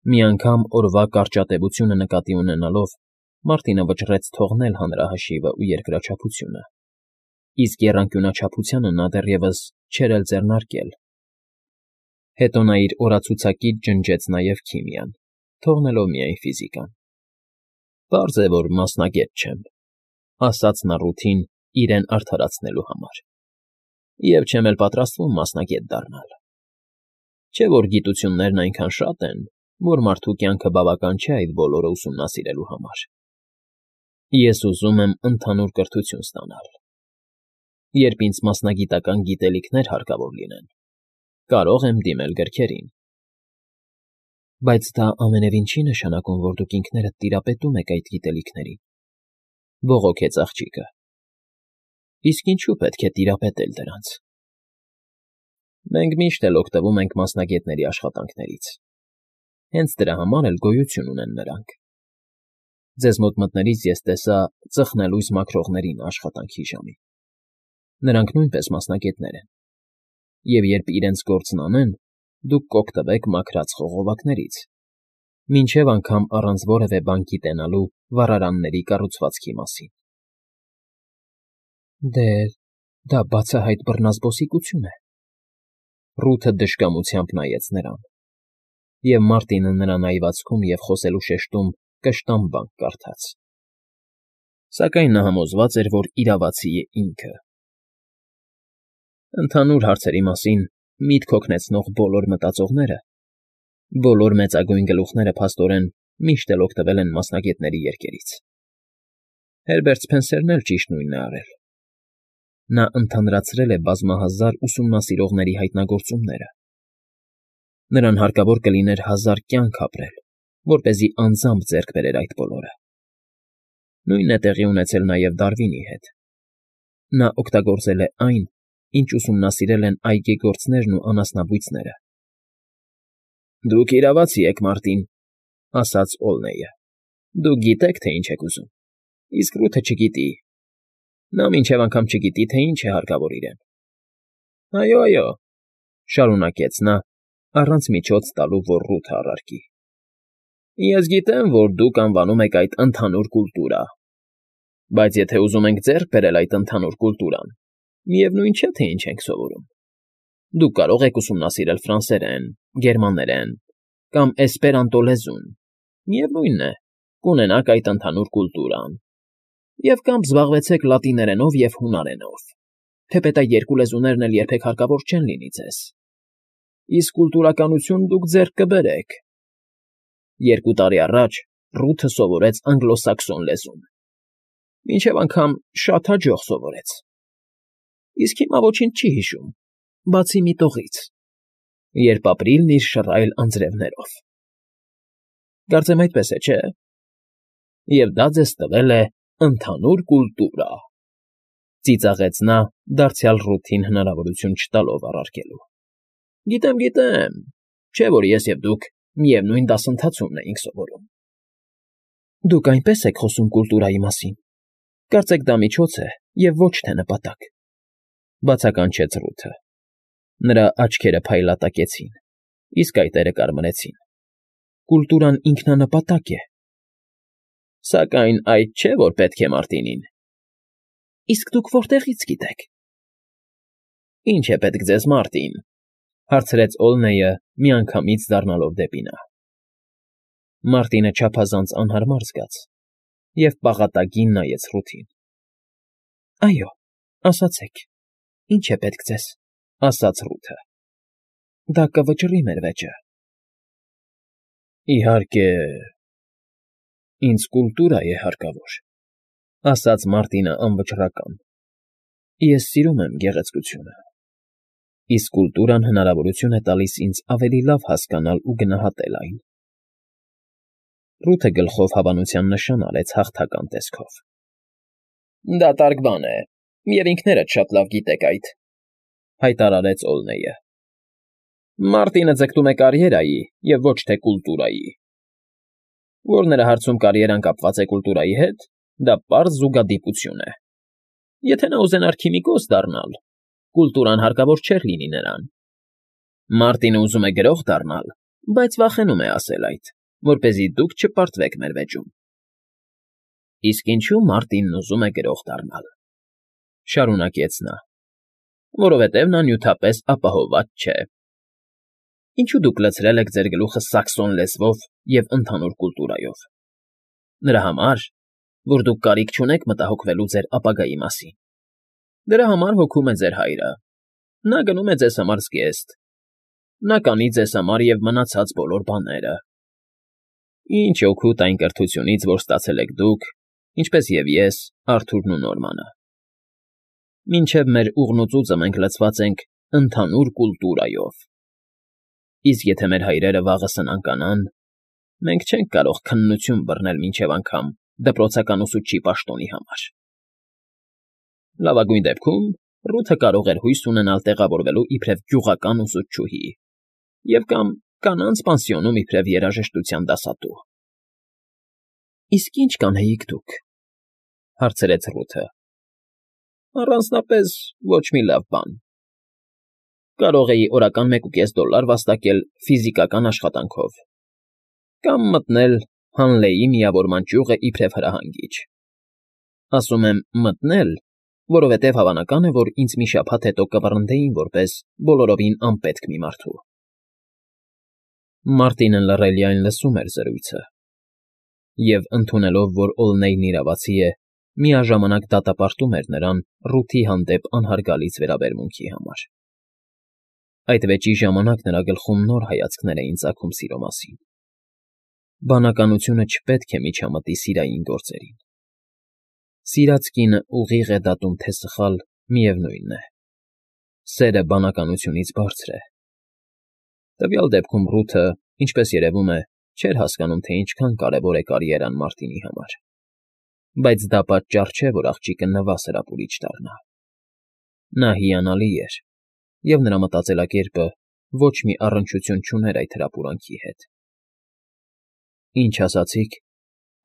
Մի անգամ օրվա կարճատևությունը նկատի ունենալով, Մարտինը վճռեց թողնել հանրահաշիվը ու երկրաչափությունը, իսկ եռանկյունաչափությանը նա դեռևս չէր էլ ձեռնարկել. հետո նա իր օրացուցակից ջնջեց նաև քիմիան, թողնելով միայն ֆիզիկան։ «Պարզ է, որ մասնագետ չեմ,֊ ասաց նա Ռութին իրեն արդարացնելու համար,֊ և չեմ էլ պատրաստվում մասնագետ դառնալ։ Չէ՞ որ գիտություններն այնքան շատ են, որ մարդու կյանքը բավական չէ այդ բոլորը ուսումնասիրելու համար։ Ես ուզում եմ ընդհանուր կրթություն ստանալ։ Երբ ինձ մասնագիտական գիտելիքներ հարկավոր լինեն, կարող եմ դիմել գրքերին»։ «Բայց դա ամենևին չի նշանակում, որ դուք ինքներդ տիրապետում եք այդ գիտելիքներին,֊ բողոքեց աղջիկը։ «Իսկ ինչու՞ պետք է տիրապետել դրանց։ Մենք միշտ էլ օգտվում ենք մասնագետների աշխատանքներից, հենց դրա համար էլ գոյություն ունեն նրանք։ Ձեզ մոտ մտնելիս ես տեսա ծխնելույս մաքրողներին աշխատանքի ժամին։ Նրանք նույնպես մասնագետներ են, և երբ իրենց գործն անեն, դուք կօգտվեք մաքրած խողովակներից, մինչև անգամ առանց որևէ բան գիտենալու վառարանների կառուցվածքի մասին»։ «Դե, դա բացահայտ բռնազբոսիկություն է,֊ Ռութը դժկամությամբ նայեց նրան, և Մարտինը նրան այվածքում և խոսելու շեշտում կշտամ բանկ կարդաց։ Սակայն նա համոզված էր, որ իրավացի է ինքը։ Ընդհանուր հարցերի մասին միտք հոգնեցնող բոլոր մտածողները, բոլոր մեծագույն գլուխները փաստորեն միշտ էլ օգտվել են մասնագետների երկերից։ Հերբերտ Սփենսերն էլ ճիշտ նույնն է արել։ Նա ընդհանրացրել է բազմահազար ուսումնասիրողների հայտնագործումները։ Նրան հարկավոր կլիներ 1000 կյանք ապրել, որպեսզի անձամբ ձեռք բերեր այդ բոլորը։ Նույնն է տեղի ունեցել նաև Դարվինի հետ։ Նա օգտագործել է այն, ինչ ուսումնասիրել են այգեգործներն ու անասնաբույծները։ «Դուք իրավացի եք, Մարտին,֊ ասաց Օլնեյը։֊ Դուք գիտեք, թե ինչ եք ուզում, իսկ Ռութը չգիտի։ Նա մինչև անգամ չգիտի, թե ինչ է հարկավոր իրեն։ Այո, այո,֊ շարունակեց նա, առանց միջոց տալու, որ Ռութը առարկի,֊ ես գիտեմ, որ դուք անվանում եք այդ ընդհանուր կուլտուրա։ Բայց եթե ուզում ենք ձեռք բերել այդ ընդհանուր կուլտուրան, միևնույն չէ, թե ինչ ենք սովորում։ Դուք կարող եք ուսումնասիրել ֆրանսերեն, գերմաներեն կամ էսպերանտո լեզուն, միևնույն է, կունենաք այդ ընդհանուր կուլտուրան, և կամ զբաղվեցեք լատիներենով և հունարենով, թեպետ այդ երկու լեզուներն էլ երբեք հարկավոր չեն լինի ձեզ։ Իսկ կուլտուրականություն դուք ձեռք կբերեք։ 2 տարի առաջ Ռութը սովորեց անգլոսաքսոն լեզուն, մինչև անգամ շատ հաջող սովորեց։ Իսկ հիմա ոչինչ չի հիշում, բացի մի տողից, երբ ապրիլն իր շռայլ անձրևներով։ Կարծեմ այդպես է, չէ՞։ Եվ դա ձեզ տվել է ընդհանուր կուլտուրա,֊ ծիծաղեց նա, դարձյալ Ռութին հնարավորություն չտալով առարկելու։ Գիտեմ, գիտեմ, չէ՞ որ ես և դուք միևնույն դասընթացումն էինք սովորում։ Դուք այնպես եք խոսում կուլտուրայի մասին, կարծեք դա միջոց է և ոչ թե նպատակ,֊ բացականչեց Ռութը։ Նրա աչքերը փայլատակեցին, իսկ այտերը կարմրեցին։ Կուլտուրան ինքնանպատակ է։ Սակայն այդ չէ, որ պետք է Մարտինին։ Իսկ դուք որտեղի՞ց գիտեք։ Ինչ է պետք ձեզ, Մարտին,֊ հարցրեց Օլնեյը, միանգամից դառնալով դեպի նա։ Մարտինը չափազանց անհարմար զգաց և պաղատագին նայեց Ռութին։ Այո, ասացեք, ինչ է պետք ձեզ,֊ ասաց Ռութը։ Դա կվճռի մեր վեճը։ Իհարկե, ինձ կուլտուրա է հարկավոր,֊ ասաց Մարտինը անվճռական։ Ես սիրում եմ գեղեցկությունը, իսկ կուլտուրան հնարավորություն է տալիս ինձ ավելի լավ հասկանալ ու գնահատել այն։ Ռութը գլխով հավանության նշան արեց հաղթական տեսքով։ Դատարկ բան է, և ինքներդ շատ լավ գիտեք այդ,֊ հայտարարեց Օլնեյը։ Մարտինը ձգտում է կարիերայի և ոչ թե կուլտուրայի։ Որ նրա հարցում կարիերան կապված է կուլտուրայի հետ, դա պարզ զուգադիպություն է։ Եթե նա ուզենար քիմիկոս դառնալ, կուլտուրան հարկավոր չէր լինի նրան։ Մարտինը ուզում է գրող դառնալ, բայց վախենում է ասել այդ, որպեսզի դուք չպարտվեք մեր վեճում։ Իսկ ինչու Մարտինն ուզում է գրող դառնալ, շարունակեց նա, որովհետև նա նյութապես ապահովված չէ։ Ինչու դուք լցրել եք ձեր գլուխը սաքսոն լեզվով և ընդհանուր կուլտուրայով։ Նրա համար, որ դուք կարիք չունեք մտահոգվելու ձեր ապագայի մասին։ Դրա համար հոգում է ձեր հայրը։ Նա գնում է ձեզ համար զգեստ։ Նա կանի ձեզ համար և մնացած բոլոր բաները։ Ինչ օգուտ այն կրթությունից, որ ստացել եք դուք, ինչպես և ես, Արթուրն ու Նորմանը։ Մինչև մեր ուղնուծուծը մենք լցված ենք ընդհանուր կուլտուրայով։ Իսկ եթե մեր հայրերը վաղը սնանկանան, մենք չենք կարող քննություն բռնել մինչև անգամ դպրոցական ուսուցչի պաշտոնի համար։ Լավագույն դեպքում Ռութը կարող էր հույս ունենալ տեղավորվելու իբրև գյուղական ուսուցչուհի և կամ կանանց պանսիոնում իբրև երաժշտության դասատու։ Իսկ ի՞նչ կանեիք դուք, հարցրեց Ռութը։ Առանձնապես ոչ մի լավ բան։ Կարող էի օրական $1.5 վաստակել ֆիզիկական աշխատանքով կամ մտնել Հանլեի միավորման ճյուղը իբրև հրահանգիչ։ Ասում եմ մտնել, որովհետև հավանական է, որ ինձ մի շաբաթ հետո կվռնդեին որպես բոլորովին անպետք մի մարդու։ Մարտինը լռելիայն լսում էր զրույցը և, ընդունելով, որ Օլնեյն իրավացի է, միաժամանակ դատապարտում էր նրան Ռութի հանդեպ անհարգալից վերաբերմունքի համար։ Այդ վեճի ժամանակ նրա գլխում նոր հայացքներ էին ծագում սիրո մասին։ Բանականությունը չպետք է միջամտի սիրային գործերին։ Սիրած կինը ուղիղ է դատում թե սխալ, միևնույն է։ Սերը բանականությունից բարձր է։ Տվյալ դեպքում Ռութը, ինչպես երևում է, չէր հասկանում, թե ինչքան կարևոր է կարիերան Մարտինի համար։ Բայց դա պատճառ չէ, որ աղջիկը նվազ հրապուրիչ դառնա։ Նա հիանալի էր, և նրա մտածելակերպը ոչ մի առնչություն չուներ այդ հրապուրանքի հետ։ Ինչ ասացիք,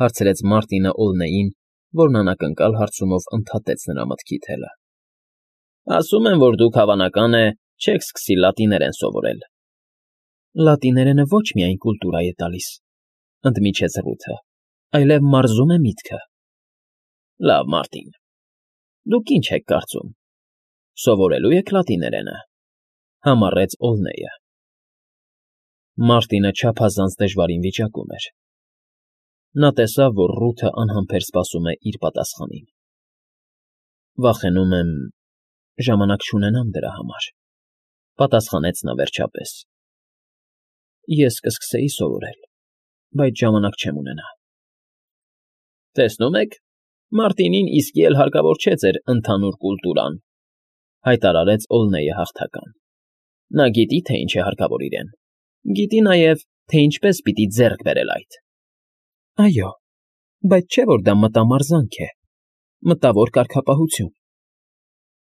հարցրեց Մարտինը Օլնեյին, որն անակնկալ հարցումով ընդհատեց նրա մտքի թելը։ Ասում են, որ դուք հավանական է չեք սկսի լատիներեն սովորել։ Լատիներենը ոչ միայն կուլտուրա է տալիս, ընդմիջեց Ռութը, այլև մարզում է միտքը։ Լավ, Մարտին, դուք ինչ եք կարծում, սովորելու եք լատիներենը, համառեց Օլնեյը։ Մարտինը չափազանց դժվարին վիճակում էր։ Նա տեսավ, որ Ռութը անհամբեր սպասում է իր պատասխանին։ Վախենում եմ, ժամանակ չունենամ դրա համար, պատասխանեց նա վերջապես։ Ես կսկսեի սովորել, բայց ժամանակ չեմ ունենա։ Տեսնում եք, Մարտինին իսկի էլ հարկավոր չէ ձեր ընդհանուր կուլտուրան, հայտարարեց Օլնեյը հաղթական։ Նա գիտի, թե ինչ է հարկավոր իրեն։ Գիտի նաև, թե ինչպես պիտի ձեռք բերել այդ։ Այո, բայց չէ՞ որ դա մտամարզանք է, մտավոր կարգապահություն։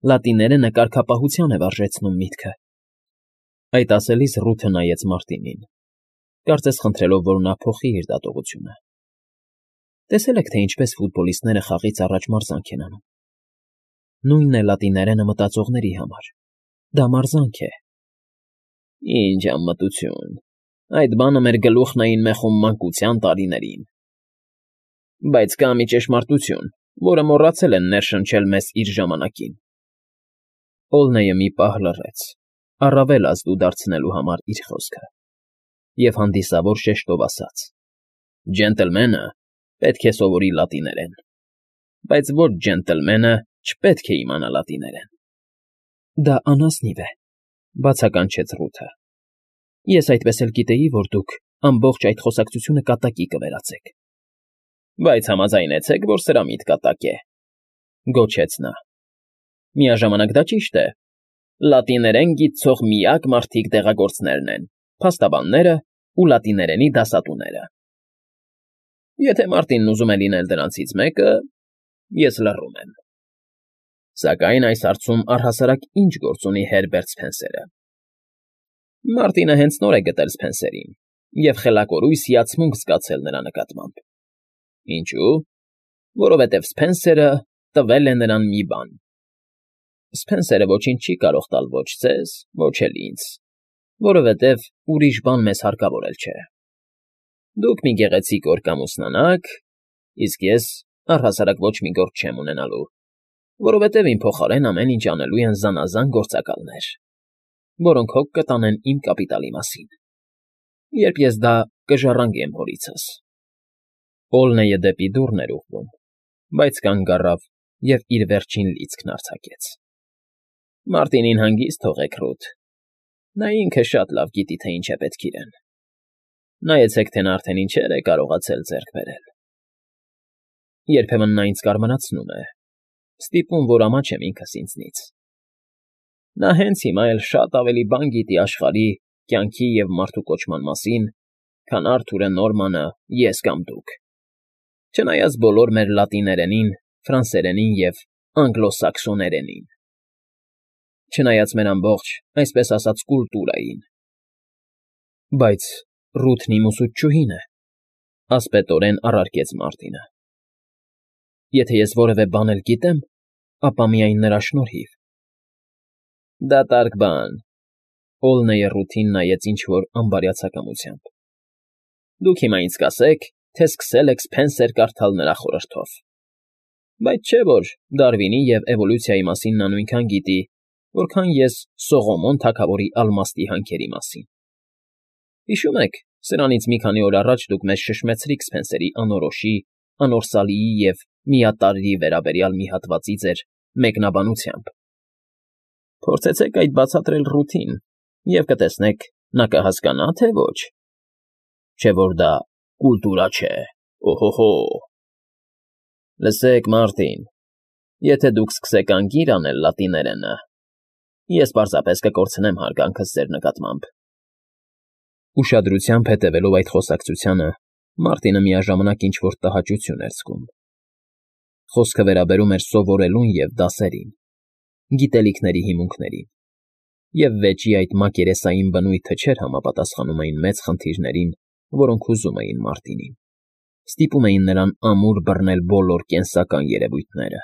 Լատիներենը կարգապահության է վարժեցնում միտքը։ Այդ ասելիս Ռութը նայեց Մարտինին, կարծես խնդրելով, որ նա փոխի իր դատողությունը։ Տեսել եք, թե ինչպես ֆուտբոլիստները խաղից առաջ մարզանք են անում։ Նույնն է լատիներենը մտածողների համար։ Դա մարզանք է։ Ինչ անմտություն։ Այդ բանը մեր գլուխն էին մեխում մանկության տարիներին։ Բայց կա մի ճշմարտություն, որը մոռացել են ներշնչել մեզ իր ժամանակին։ Օլնեյը մի պահ լռեց, առավել ազդու դարձնելու համար իր խոսքը, և հանդիսավոր շեշտով ասաց. Ջենտլմենը պետք է սովորի լատիներեն, բայց ոչ ջենտլմենը չպետք է իմանա լատիներեն։ Դա անազնիվ է, բացականչեց Ռութը։ Ես այդպես էլ գիտեի, որ դուք ամբողջ այդ խոսակցությունը կատակի կվերածեք։ Բայց համաձայնեցեք, որ սրա միտ կատակ է, գոչեց նա։ Միաժամանակ դա ճիշտ է։ Լատիներեն գիտցող միակ մարդիկ դեղագործներն են, փաստաբանները ու լատիներենի դասատուները։ Եթե Մարտինն ուզում է լինել դրանցից մեկը, ես լռում եմ։ Սակայն այս հարցում առհասարակ ինչ գործ ունի Հերբերտ Սփենսերը։ Մարտինը հենց նոր է գտել Սփենսերին և խելակորույս հիացմունք զգացել նրա նկատմամբ։ Ինչու՞։ Որովհետև Սփենսերը տվել է նրան մի բան։ Սփենսերը ոչինչ չի կարող տալ ոչ ձեզ, ոչ էլ ինձ։ Որովհետև ուրիշ բան մեզ հարկավոր էլ չէ։ Դուք մի գեղեցիկ օր կամուսնանաք, իսկ ես առհասարակ ոչ մի գործ չեմ ունենալու, որովհետև իմ փոխարեն ամեն ինչ անելու են զանազան գործակալներ, որոնք հոգ կտանեն իմ կապիտալի մասին, երբ ես դա կժառանգեմ հորիցս։ Օլնեյը դեպի դուռն էր ուղղվում, բայց կանգ առավ և իր վերջին լիցքն արձակեց։ Մարտինին հանգիստ թողեք, Ռութ. նա ինքը շատ լավ գիտի, թե ինչ է պետք իրեն։ Նայեցեք, թե նա արդեն ինչեր է կարողացել ձեռք բերել։ Երբեմն նա ինձ կարմրացնում է, ստիպում, որ ամաչեմ ինքս ինձնից։ Նա հենց հիմա էլ շատ ավելի բան գիտի աշխարհի, կյանքի և մարդու կոչման մասին, քան Արթուրը Նորմանը, ես կամ դուք։ Չնայած բոլոր մեր լատիներենին, ֆրանսերենին և անգլոսաքսոներենին։ Չնայած մեր ամբողջ, այսպես ասած, կուլտուրային։ Բայց Ռութն իմ ուսուցչուհին է, ասպետորեն առարկեց Մարտինը։ Եթե ես որևէ բան էլ գիտեմ, ապա միայն նրա շնորհիվ։ Դատարկ բան։ Օլնեյը Ռութին նայեց ինչ֊որ անբարյացակամությամբ։ Դուք հիմա ինձ կասեք, թե սկսել եք Սփենսեր կարդալ նրա խորհրդով։ Բայց չէ՞ որ Դարվինի և էվոլյուցիայի մասին նա նույնքան գիտի, որքան ես Սողոմոն թագավորի ալմաստի հանքերի մասին։ Հիշում եք, սրանից մի քանի օր առաջ դուք մեզ շշմեցրիք Սփենսերի անորոշի, անորսալիի և միատարրի վերաբերյալ մի հատվածի ձեր մեկնաբանությամբ։ Փորձեցեք այդ բացատրել Ռութին, և կտեսնեք, նա կհասկանա, թե ոչ։ Չէ՞ որ դա կուլտուրա չէ, օհո՜։ Լսեք, Մարտին, եթե դուք սկսեք անգիր անել լատիներենը, ես պարզապես կկորցնեմ հարգանքս ձեր նկատմամբ։ Ուշադրությամբ հետևելով այդ խոսակցությանը, Մարտինը միաժամանակ ինչ֊որ տհաճություն էր զգում։ Խոսքը վերաբերում էր սովորելուն և դասերին, գիտելիքների հիմունքներին, և վեճի այդ մակերեսային բնույթը չէր համապատասխանում այն մեծ խնդիրներին, որոնք հուզում էին Մարտինին, ստիպում էին նրան ամուր բռնել բոլոր կենսական երևույթները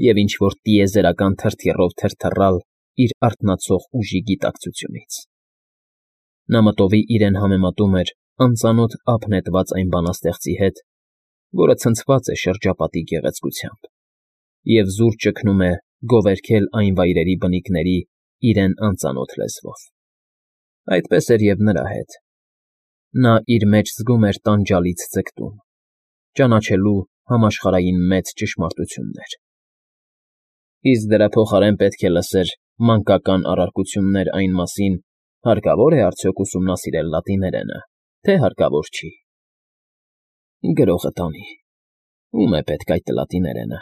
և ինչ֊որ տիեզերական թրթիռով թրթռալ իր արթնացող ուժի գիտակցությունից։ Նա մտովի իրեն համեմատում էր անծանոթ ափ նետված այն բանաստեղծի հետ, որը ցնցված է շրջապատի գեղեցկությամբ և զուր ճգնում է գովերգել այն վայրերի բնիկների իրեն անծանոթ լեզվով։ Այդպես էր և նրա հետ։ Նա իր մեջ զգում էր տանջալից ձգտում, ճանաչելու համաշխարհային մեծ ճշմարտություններ։ Իսկ դրա փոխարեն պետք է լսեր մանկական առարկություններ այն մասին, հարկավո՞ր է արդյոք ուսումնասիրել լատիներենը, թե հարկավոր չի։ Գրողը տանի, ո՞ւմ է պետք այդ լատիներենը,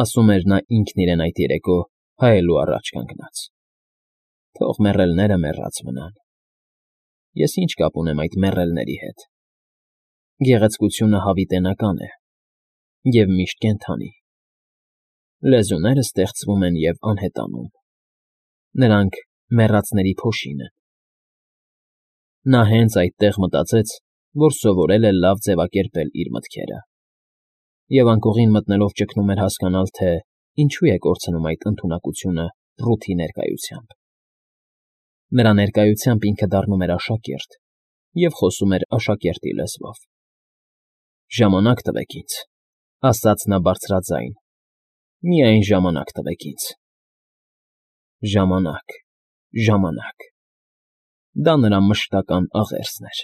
ասում էր նա ինքն իրեն այդ երեկո հայելու առաջ կանգնած։ Թող մեռելները մեռած մնան։ Ես ինչ կապ ունեմ այդ մեռելների հետ։ Գեղեցկությունը հավիտենական է և միշտ կենդանի։ Լեզուները ստեղծվում են և անհետանում։ Նրանք մեռածների փոշին են։ Նա հենց այդտեղ մտածեց, որ սովորել է լավ ձևակերպել իր մտքերը, և անկողին մտնելով ճգնում էր հասկանալ, թե ինչու է կորցնում այդ ընդունակությունը Ռութի ներկայությամբ։ Նրա ներկայությամբ ինքը դառնում էր աշակերտ և խոսում էր աշակերտի լեզվով։ «Ժամանակ տվեք ինձ», ասաց նա բարձրաձայն, «միայն ժամանակ տվեք ինձ»։ Ժամանակ, ժամանակ… Դա նրա մշտական աղերսն էր։